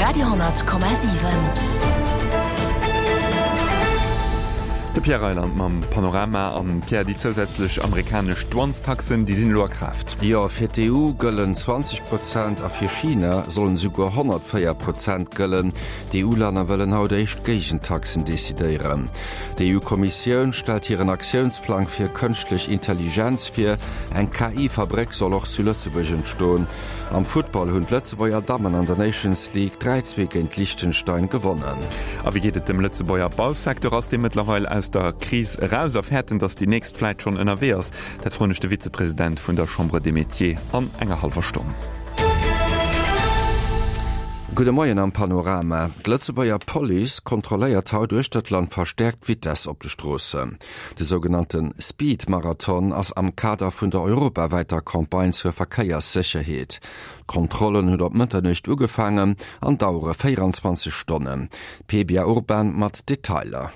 Radio 10,7. De Pierre Reyland mam Panorama. An Pierre, déi zousätzlech amerikanesch Douanestaxen, déi sinn elo a Kraaft. Jo, fir d'EU gëllen 20 Prozent a fir China sollen esouguer 104 Prozent gëllen. D'EU-Länner wëllen haut éischt Géigentaxen decidéieren. D'EU-Kommissioun stellt hiren Aktiounsplang fir kënschtlech Intelligenz vir. Eng KI-Fabréck soll och zu Lëtzebuerg entstoen. Am Futtball hunn d'Lëtzebuerger Dammen an der Nations League 3, 2 géint Liechtenstein gewonnen. A wéi geet et dem Lëtzebuerger Bausecteur? Ass dee mëttlerweil aus der Kris eraus a fäert en, datt déi nächst vläit schonn ënnerwee ass? Dat froen ech de Vizepresident vun der Chambre des Métiers an enger hallwer Stonn. Gudde Moien am Panorama. D'Lëtzebuerger Police kontrolléiert haut uechter d'Land verstäerkt d'Vitess op de Stroossen. De sougenannte Speed-Marathon ass am Kader vun der europawäiter Campagne zur Verkéierssécherheet. D'Kontrollen hunn op Mëtternuecht ugefaangen an dauere 24 Stonnen. D'Pebia Urban mat Detailer.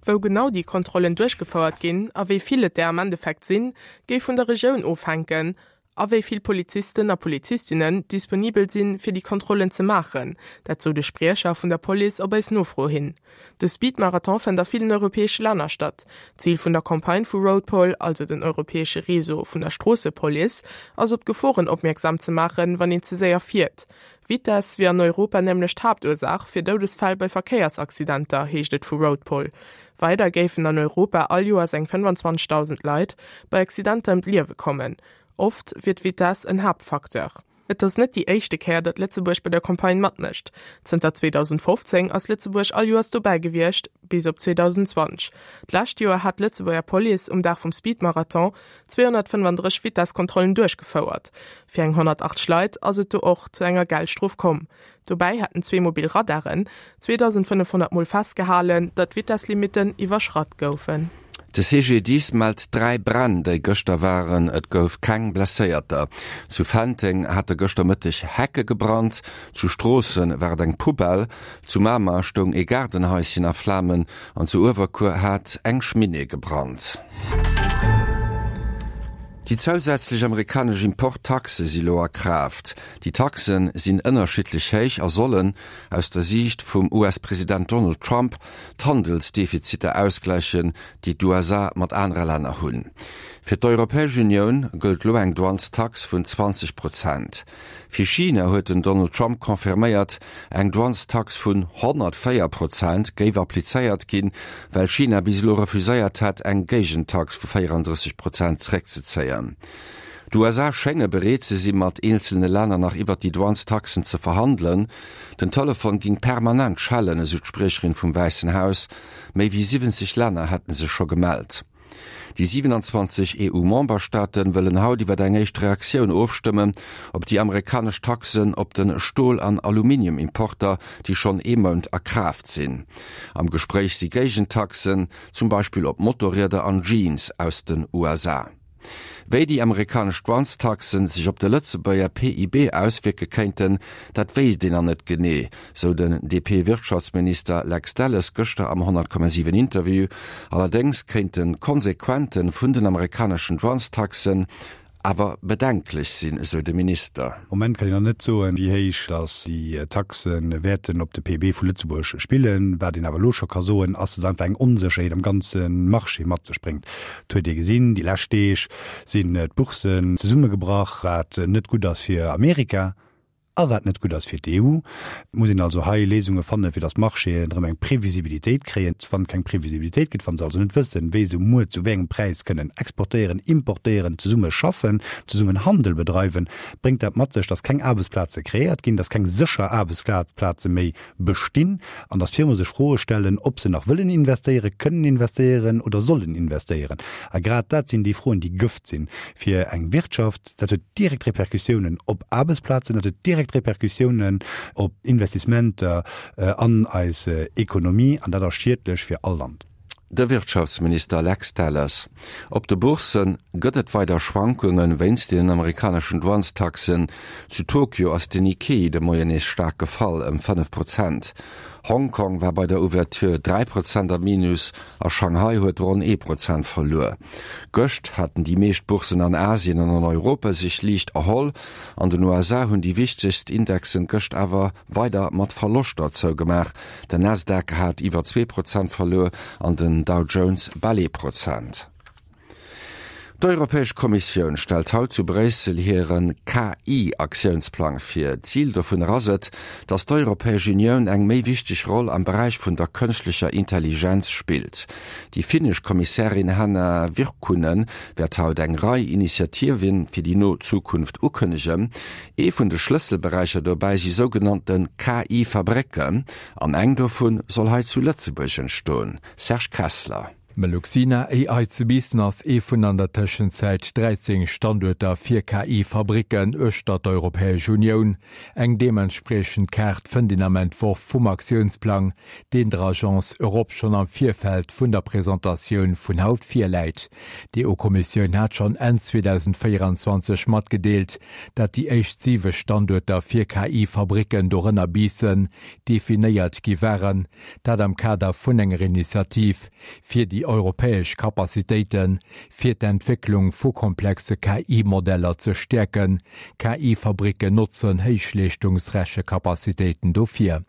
Wou genau déi Kontrollen duerchgefouert ginn a wéi vill et der am Endeffekt sinn, géif vun der Regioun ofhänken a wéi vill Polizisten a Polizistinnen disponibel sinn, fir déi Kontrollen ze maachen. Dat sou de Spriecher vun der Police op eis Nofro hin. De Speed-Marathon fënnt a villen europäesche Länner statt. D'Zil vun der Campagne vu Roadpol, also den europäesche Réseau vun der Stroossepolice, ass op d'Geforen opmierksam ze maachen, wann een ze séier fiert. Vitess wier an Europa nämlech d'Haaptursaach fir Doudesfäll bei Verkéiersaccidenter, heescht et vu Roadpol. Weider géifen an Europa all Joers eng 25.000 Leit bei Accidenter ëm d'Liewe kommen. Oft wier d'Vitess en Haaptfacteur. Et ass net déi éischte Kéier, datt Lëtzebuerg bei der Campagne matmécht. Zënter 2015 ass Lëtzebuerg all Joers dobäi gewiescht, bis op 2020. D'lescht Joer hat d'Lëtzebuerger Police um Dag vum Speedmarathon 235 Vitesskontrollen duerchgefouert. Fir eng 180 Leit ass et do och zu enger Geldstrof komm. Dobäi hätten zwee mobil Radaren 2.500 Mol festgehalen, datt d'Vitesslimitten iwwerschratt goufen. De CGDIS mellt 3 Bränn, déi gëschter waren. Et gouf keng Blesséierter. Zu Fenteng hate gëschter Mëtteg Hecke gebrannt, zu Stroossen war et eng Poubelle, zu Mamer stoung ee Gaardenhaischen a Flamen an zu Uewerkuer hat eng Cheminée gebrannt. Déi zousätzlech amerikanesch Import-Taxe si lo a Kraaft. Déi Taxe sinn ënnerschiddlech héich a sollen, aus der Siicht vum US-President Donald Trump, d'Handelsdefiziter ausgläichen, déi d'USA mat anere Länner hunn. Fir d'Europäesch Unioun gëllt lo eng Douanestax vun 20 Prozent. Fir China huet den Donald Trump confirméiert, eng Douanestax vun 104 Prozent géif applizéiert ginn, well China bis elo refuséiert hätt, eng Géigentax vu 34 Prozent zeréckzezéien. D'USA schénge bereet ze sinn, mat eenzelne Länner nach iwwert déi Douanestaxen ze verhandelen. Den Telefon ging permanent schellen, esou d'Spriecherin vum Wäissen Haus. Méi wéi 70 Länner hätte sech scho gemellt. Déi 27 EU-Memberstaate wëllen haut iwwer eng éischt Reaktioun ofstëmmen op déi amerikanesch Taxen op de Stol an Aluminium-Importer, déi schonn ee Mount a Kraaft sinn. Am Gespréich si Géigentaxen, zum Beispill op Motorrieder an Jeans aus den USA. Wéi déi amerikanesch Douanestaxen sech op de Lëtzebuerger PIB auswierke kéinten, dat wéisst een nach net genee, sou den DP-Wirtschaftsminister Lex Delles gëschter am 100,7 Interview. Allerdéngs kéinten d'Konsequente vun den amerikaneschen Douanestaxen awer bedenklech sinn, esou de Minister. Moment kann een nach net soen, wéi héich datt déi Taxe wäerten op de PIB vu Lëtzebuerg spillen. Wat een awer elo scho ka soen, ass, datt einfach eng Onsécherheet am ganze Marché mat sech bréngt. Et huet ee gesinn, déi lescht Deeg sinn d'Bourssen zesummegebrach, wat net gutt ass fir Amerika a wat net gutt ass fir d'EU. Et muss een also hei Léisunge fannen, fir datt d'Marchéen erëm eng Previsibilitéit kréien. Wann et keng Previsibilitéit gëtt, wa se also net wëssen, wéi se muer zu wéi engem Präis kënnen exportéieren, importéieren, zesumme schaffen, zesummen Handel bedreiwen, bréngt dat mat sech, datt keng Aarbechtsplaze kreéiert ginn, datt keng sécher Aarbechtsplaze méi bestinn an datt Firme sech Froe stellen, ob se nach wëllen investéieren, kënnen investéieren oder sollen investéieren. A grad dat sinn déi Froen, déi Gëft sinn fir eng Wirtschaft. Dat huet direkt Repercussiounen op Aarbechtsplazen, dat huet direkt Repercussiounen op Investissementer an eis Ekonomie an dat ass schiedlech fir all Land. De Wirtschaftsminister Lex Delles. Op de Boursse gëtt et weider Schwankunge wéinst den amerikaneschen Douanestaxen. Zu Tokio ass den Nikkei de Moien nees staark gefall, ëm 5 Prozent. Hongkong war bei der Ouverture 3 Prozent am Minus a Shanghai huet ronn ee Prozent verluer. Gëscht haten déi meescht Bourssen an Asien an an Europa sech liicht erholl. An den USA hunn déi wichtegst Indexen gëscht awer weider mat Verloschter zougemaach. Den Nasdaq hat iwwer 2 Prozent verluer an den Dow Jones bal ee Prozent. D'Europäesch Kommissioun stellt haut zu Bréissel hire KI-Aktiounsplang vir. Zil dovunner ass et, datt d'Europäesch Unioun eng méi wichteg Roll am Beräich vun der kënschtlecher Intelligenz spillt. Déi finnesch Kommissärin Hanna Virkkunen wäert haut eng Rei Initiative fir déi no Zukunft ukënnegen. Ee vun de Schlësselberäicher dobäi si sougenannte KI-Fabrécken an eng dovu soll hei zu Lëtzebuerg entstoen. Serge Kessler. Meluxina AI zu Biissen ass ee vun an der Tëschenzäit 13 Standuerter fir KI-Fabricken uechter d'Europäesch Unioun. Eng deementspriechend Kaart fënnt een am Entworf vum Aktiounsplang, deen der Agence Europe schonn am Virfeld vun der Presentatioun vun haut virläit. D'EU-Kommissioun hat schonn Enn 2024 matgedeelt, dat déi éischt siwe Standuerter fir KI-Fabricken, dorënner Biissen, definéiert gi waren. Dat am Kader vun enger Initiativ fir déi europäesch Capacitéite fir d'Entwécklung vu komplexe KI-Modeller ze stäerken. KI-Fabricken notzen Héichleeschtungsrechecapacitéiten dofir.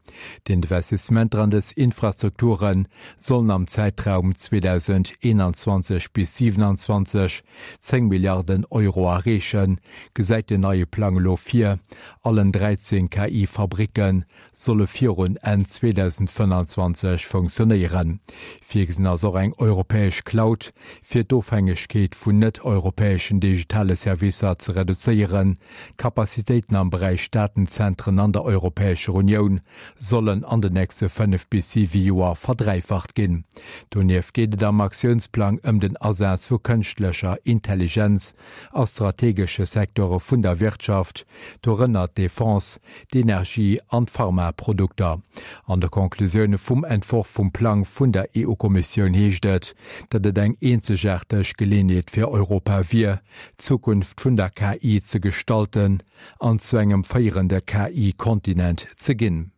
D'Investissementer an dës Infrastrukture sollen am Zäitraum 2021 bis 2027 10 Milliarden Euro erreechen, gesäit den neie Plang elo vir. Allen 13 KI-Fabricke solle virun Enn 2025 funktionéieren. Virgesinn ass och eng europäesch Cloud, fir d'Ofhängegkeet vun net-europäeschen digitale Servicer ze reduzéieren. D'Capacitéiten am Beräich Datenzentren an der Europäescher Unioun sollen an den nächste 5 bis 7 Joer verdräifacht ginn. Donieft geet et am Aktiounsplang ëm den Asaz vu kënschtlecher Intelligenz a strategesche Secteure vun der Wirtschaft, dorënner d'Defense, d'Energie an d'Pharmaprodukter. An de Conclusioune vum Entworf vum Plang vun der EU-Kommissioun heescht et, datt et eng eenzegaarteg Geleeënheet fir Europa wier, d'Zukunft vun der KI ze gestalten an zu engem féierende KI-Kontinent ze ginn.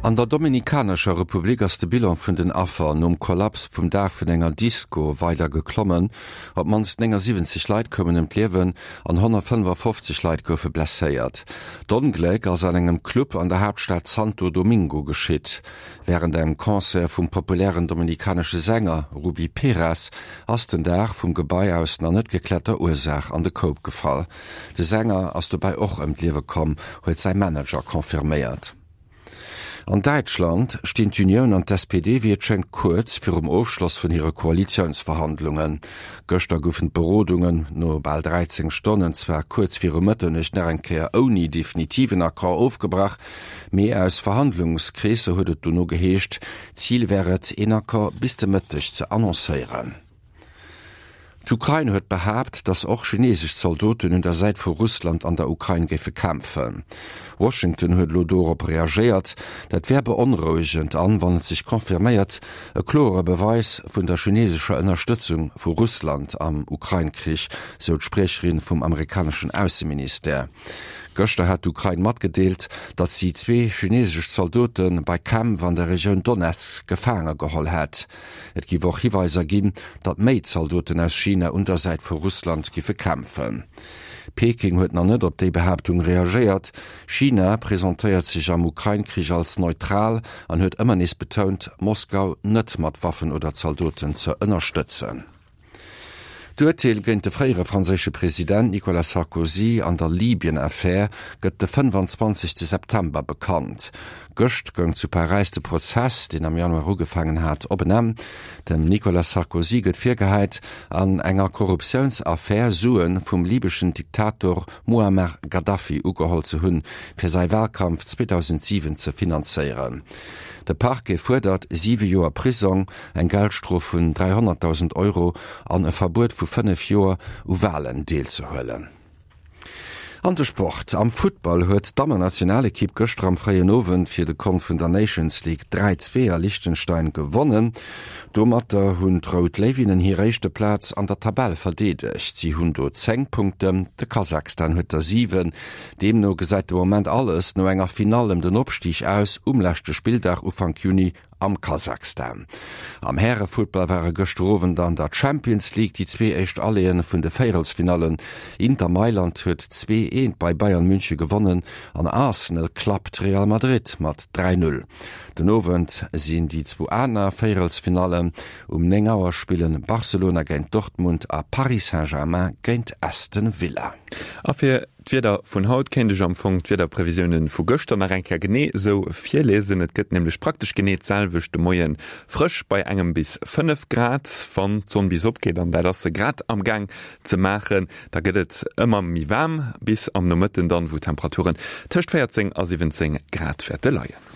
An der Dominikanescher Republik ass de Bilan vun den Affer nom Kollaps vum Daach vun enger Disko weider geklommen. Op d'mannst 79 Leit koumen ëm d'Liewen an 155 Leit goufe blesséiert. D'Ongléck ass an engem Club an der Haaptstad Santo Domingo geschitt. Wärend engem Concert vum populären dominikanesche Sänger Rubí Pérez ass den Daach vum Gebai aus nach net gekläerter Ursaach an de Koup gefall. De Sänger ass dobäi och ëm d'Liewe komm, huet säi Manager confirméiert. An Däitschland stinn d'Unioun an d'SPD wéi et schéngt kuerz virum Ofschloss vun hire Koalitiounsverhandlungen. Gëschter goufen d'Berodungen no bal 13 Stonnen zwar kuerz viru Mëtternuecht nach eng Kéier ouni definitiven Accord ofgebrach, mee aus Verhandlungskreesser huet et dono geheescht, Zil wär et, een Accord bis de Mëtteg ze annoncéieren. D'Ukrain huet behaapt, datt och chineesesch Zaldoten un der Säit vu Russland an der Ukrain géife kämpfen. Washington huet elo dorop reagéiert. Dat wär beonrouegend an, wann et sech confirméiert, e kloere Beweis vun der chineesescher Ënnerstëtzung vu Russland am Ukrain-Krich, sou d'Spriecherin vum amerikaneschen Ausseministère. Gëschter hat d'Ukrain matgedeelt, datt si zwee chineesesch Zaldote bei Kämpf an der Regioun Donezk gefaange geholl hätt. Et giff och Hiweiser ginn, datt méi Zaldoten aus China un der Säit vu Russland giffe kämpfen. Peking huet nach net op déi Behaaptung reagéiert. China presentéiert sech am Ukrain-Krich als neutral an huet ëmmer nees betount, Moskau net mat Waffen oder Zaldoten ze ënnerstëtzen. D'Urteel géint de fréiere franséische President Nicolas Sarkozy an der Libyen-Affär gëtt de 25 September bekannt. Gëscht goung zu Paräis de Prozess, deen am Januar ugefaangen hat, op en Enn. Dem Nicolas Sarkozy gëtt virgehäit, an enger Korruptiounsaffär Sue vum libeschen Diktator Muammar Gaddafi ugeholl ze hunn, fir säi Walkampf 2007 ze finanzéieren. De Parquet fuerdert siwe Joer Prisong, eng Geldstrof vun 300.000 Euro an e Verbuet vu 5 Joer u Walen deelzehuelen. An de Sport, Am Futtball huet d'Dammennationalekipp gëschter am fréien Owend fir de Kont vun der Nations League 3, 2 a Liechtenstein gewonnen. Domatter hunn d'Rout Léiwinnen hir éischte Plaz an der Tabell verdeedegt. Si hunn do 10 Punkten, de Kasachstan huet der 7. Deemno gesäit de Moment alles no enger Finall ëm den Opstig aus um leschte Spilldag Ufank Juni am Kasachstan. Am Härefuttball ware gëschter Owend an der Champions League déi zwee éischt Alléeë vun de Véierelsfinallen. Inter Mailand huet 2, 1 bei Bayern Münche gewonnen an Arsenal klappt Real Madrid mat 3, 0. Den Owend sinn déi zwou aner Véierelsfinallen. Um 9 Auer spillen Barcelona géint Dortmund a Paris Saint-Germain géint Aston Villa. A fir D'Wieder vun haut kéint ech am Fong d'Wiederprevisiounen vu gëschter nach eng Kéier genee esou virliesen. Et gëtt nämlech praktesch genee d'selwecht de Moien, frësch bei engem bis 5 Grad. Wann d'Sonn bis opgeet, an dat ass se grad am Gaang ze maachen, da gëtt et ëmmer méi waarm, bis am Nomëtten dann, wou d'Temperaturen tëscht 14 a 17 Grad wäerte leien.